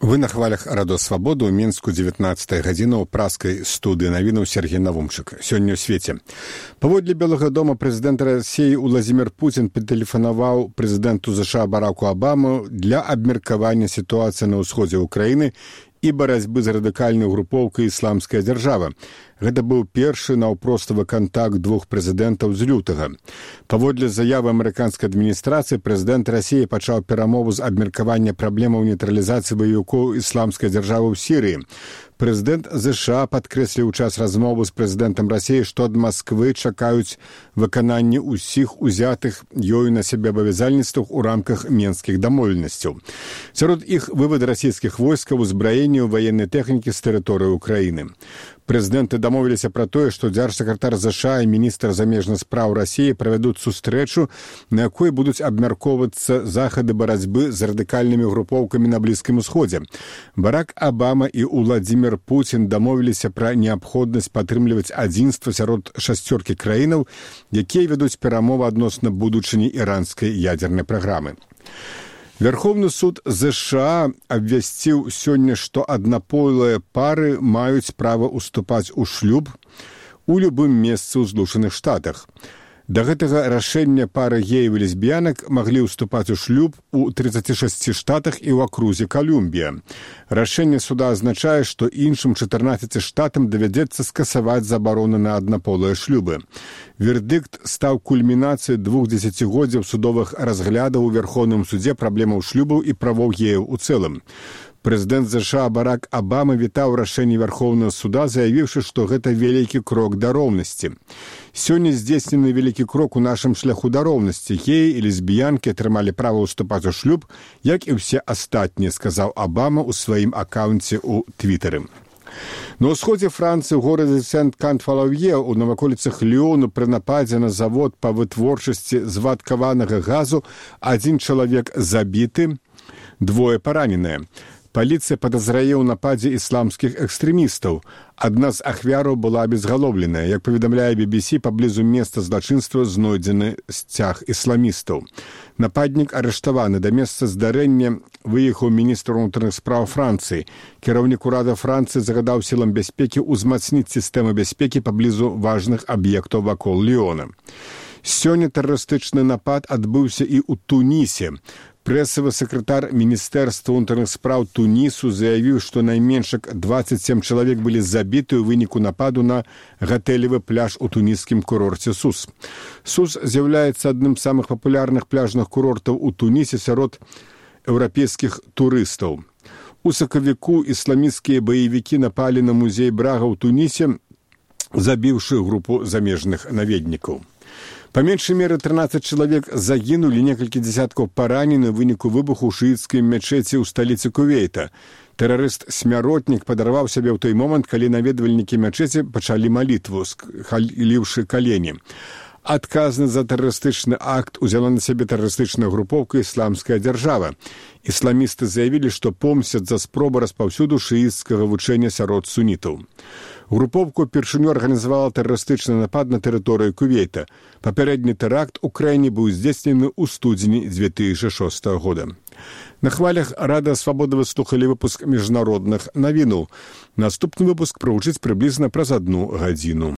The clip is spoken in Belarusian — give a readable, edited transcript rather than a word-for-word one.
Вы на хвалях радо свабоды ў Мінску 19 гадзіна ў праскай студыі навінаў Сергей Навумчык. Сёння ў свеце. Паводле Белага дома прэзідэнт Расіі Уладзімір Пуцін патэлефанаваў прэзідэнту США Бараку Абаму для абмеркавання сітуацыі на ўсходзе ўкраіны і барацьбы з радыкальнай групоўкай «Ісламская дзяржава». Гэта быў першы наўпроставы кантакт двух прэзідэнтаў з лютага. Паводле заявы амерыканскай адміністрацыі, прэзідэнт Расіі пачаў перамову з абмеркавання праблемаў нейтралізацыі баевікоў «Ісламскай дзяржавы» ў Сірыі. Прэзідэнт США падкрэсліў у час размовы з прэзідэнтам Расіі, што ад Масквы чакаюць выкананне ўсіх узятых ёю на сябе абавязальніцтваў у рамках менскіх дамоўленасцяў. Сярод іх вывад расійскіх войскаў, узбраенне ваеннай тэхнікі з тэрыторыі ўкраіны. Прэзідэнты дамовіліся пра тое, што дзяржсакратар США і міністр замежных спраў Расіі правядуць сустрэчу, на якой будуць абмяркоўвацца захады барацьбы з радыкальнымі групоўкамі на Блізкім Усходзе. Барак Абама і Уладзімір Пуцін дамовіліся пра неабходнасць падтрымліваць адзінства сярод шасцёркі краінаў, якія вядуць перамовы адносна будучыні іранскай ядзернай праграмы. Верховны суд США абвясціў сёння, што аднаполыя пары маюць права ўступаць у шлюб у любым месцы ў Злучаных Штатах. Да гэтага рашэння пары геяў і лесбіянак маглі ўступаць у шлюб у 36 штатах і ў акрузе Колумбія. Рашэнне суда азначае, што іншым 14 штатам давядзецца скасаваць забароны на аднаполыя шлюбы. Вердыкт стаў кульмінацыяй 2 дзесяцігоддзяў судовых разглядаў у Верховным судзе праблемаў шлюбаў і правоў геяў у цэлым. Прэзідэнт США Барак Абама вітаў рашэнне Верховнага суда, заявіўшы, што гэта вялікі крок да роўнасці. Сёння здзейснены вялікі крок у нашым шляху да роўнасці. Геі і лесбіянкі атрымалі права ўступаць у шлюб, як і ўсе астатнія, сказаў Абама ў сваім акаунце ў Твітары. На ўсходзе Францыі ў горадзе Сент-Кан-Фалаўе ў наваколіцах Ліёну пры нападзе на завод па вытворчасці звадкаванага газу адзін чалавек забіты, двое параненыя. Паліцыя падазрае ў нападзе ісламскіх экстрэмістаў. Адна з ахвяраў была абезгалоўленая. Як паведамляе BBC, паблізу месца злачынства знойдзены сцяг ісламістаў. Нападнік арыштаваны. Да месца здарэння выехаў міністр унутраных спраў Францыі. Кіраўнік урада Францыі загадаў сілам бяспекі ўзмацніць сістэмы бяспекі паблізу важных аб'ектаў вакол Ліёна. Сёння тэрарыстычны напад адбыўся і ў Тунісе. Прэсавы сакратар Міністэрства ўнутраных спраў Тунісу заявіў, што найменш 27 чалавек былі забіты ў выніку нападу на гатэлевы пляж у туніскім курорце Сус. Сус з'яўляецца адным з самых папулярных пляжных курортаў у Тунісе сярод еўрапейскіх турыстаў. У сакавіку ісламісцкія баевікі напалі на музей Брага ў Тунісе, забіўшы групу замежных наведнікаў. Па меншай меры 13 чалавек загінулі, некалькі дзесяткаў паранены ў выніку выбуху ў шыіцкай мечеці ў сталіцы Кувейта. Тэрарыст-смяротнік падарваў сябе ў той момант, калі наведвальнікі мечеці пачалі малітву, схіліўшы калені. Адказны за тэрарыстычны акт узяла на сябе тэрарыстычная групоўка «Ісламская дзяржава». Ісламісты заявілі, што помсцяць за спробу распаўсюду шыіцкага вучэння сярод сунітаў. Групоўку упершыню арганізавала тэрарыстычны напад на тэрыторыю Кувейта. Папярэдні тэракт у краіне быў здзейснены ў студзені 2006 года. На хвалях Радыё Свабода вы слухалі выпуск міжнародных навінаў. Наступны выпуск прагучыць прыблізна праз 1 гадзіну.